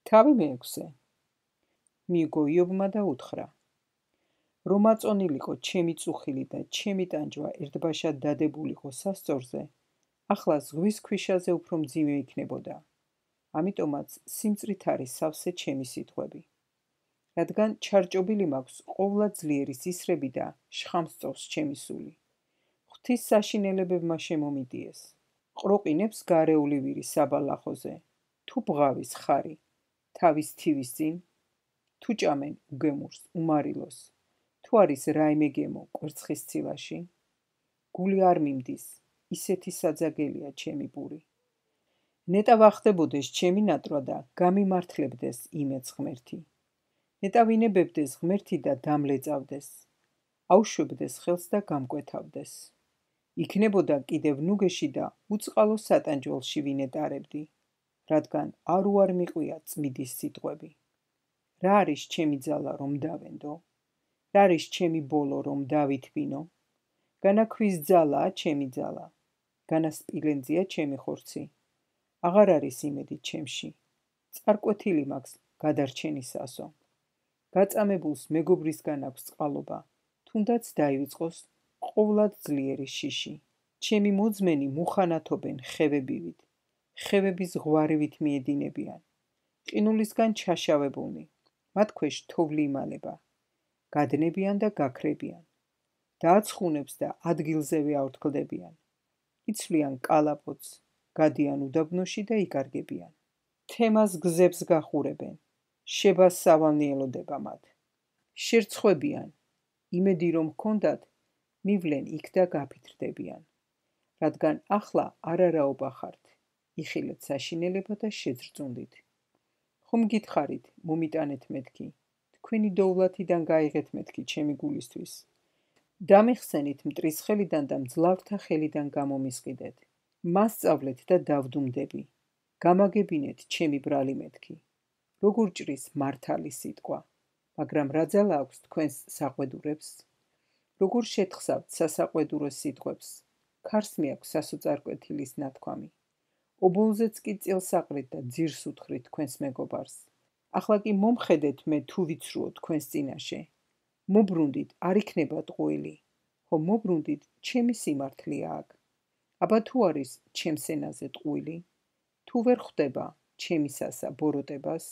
თავი მეექვსე. მიიგო იობმა და უთხრა: რომ აწონილიყო ჩემი წუხილი და ჩემი ტანჯვა ერთბაშად დადებულიყო სასწორზე, ახლა ზღვის ქვიშაზე უფრო მძიმე იქნებოდა. ამიტომაც სიმწრით არის სავსე ჩემი სიტყვები. რადგან ჩარჭობილი მაქვს ყოვლა ძლიერის ისრები და შხამსწოვს ჩემი სული. ღვთის საშინელებებმა შემომიდიეს. ყროყინებს გარეული ვირი საბალახოზე, თუ ბღავის ხარი, თავის თივის წინ, თუ ჭამენ უგემურს, უმარილოს, თუ არის რაიმე გემო კვერცხის ცილაში, გული არ მიმდის, ისეთი საძაგელია ჩემი პური. ნეტა ვახდებოდეს ჩემი ნატრვა და გამიმართლებდეს იმეც ღმერთი. ნეტა ვინებებდეს ღმერთი და დამლეწავდეს, აუშვებდეს ხელს და გამკვეთავდეს. იქნებოდა კიდევ ნუგეში და უწყალო სატანჯველში ვინეტარებდი, რადგან არ უარ მიყვია წმიდის სიტყვები. რა არის ჩემი ძალა რომ დავენდო? რა არის ჩემი ბოლო რომ დავითბინო? განაქვის ძალაა ჩემი ძალა, განასპილენძია ჩემი ხორცი. აღარ არის იმედი ჩემში, წარკვეთილი მაქვს გადარჩენისასო. გაწამებულს მეგობრისგან აქვს წყალობა, თუნდაც დაივიწყოს ყოვლად ძლიერი შიში. ჩემი მოძმენი მუხანათობენ ხევებივით, ხევების ზღვარივით მიედინებიან. ყინულისგან ჩაშავებულნი, მათ ქვეშ თოვლი იმალება. გადნებიან და გაქრებიან. დააცხუნებს და ადგილზევე აორთქლდებიან. იცვლიან კალაპოტს, გადიან უდაბნოში და იკარგებიან. თემას გზებს გახურებენ, შებას სავალნი ელოდება მათ. შერცხვებიან, იმედი რომ ჰქონდათ, მივლენ იქ და გაფითრდებიან. რადგან ახლა არარაობა ხართ, იხილეთ საშინელება და შეძრწუნდით. ხომ გითხარით, მომიტანეთ მეთქი, თქვენი დოვლათიდან გაიღეთ მეთქი ჩემი გულისთვის. დამიხსენით მტრის ხელიდან და მძლავრთა ხელიდან გამომისყიდეთ. მასწავლეთ და დავდუმდები. გამაგებინეთ ჩემი ბრალი მეთქი. როგორ ჭრის მართალი სიტყვა, მაგრამ რა ძალა აქვს თქვენს საყვედურებს? როგორ შეთხსავთ სასაყვედურო სიტყვებს, ქარს მიაქვს სასოწარკვეთილის ნათქვამი. ობოლზეც კი წილს აყრით და ძირს უთხრით თქვენს მეგობარს. ახლა კი მომხედეთ მე თუ ვიცრუო თქვენს წინაშე. მობრუნდით, არ იქნება ტყუილი, ხო მობრუნდით, ჩემი სიმართლეა აქ. აბა თუ არის ჩემს ენაზე ტყუილი, თუ ვერ ხვდება ჩემისასა ბოროტებას?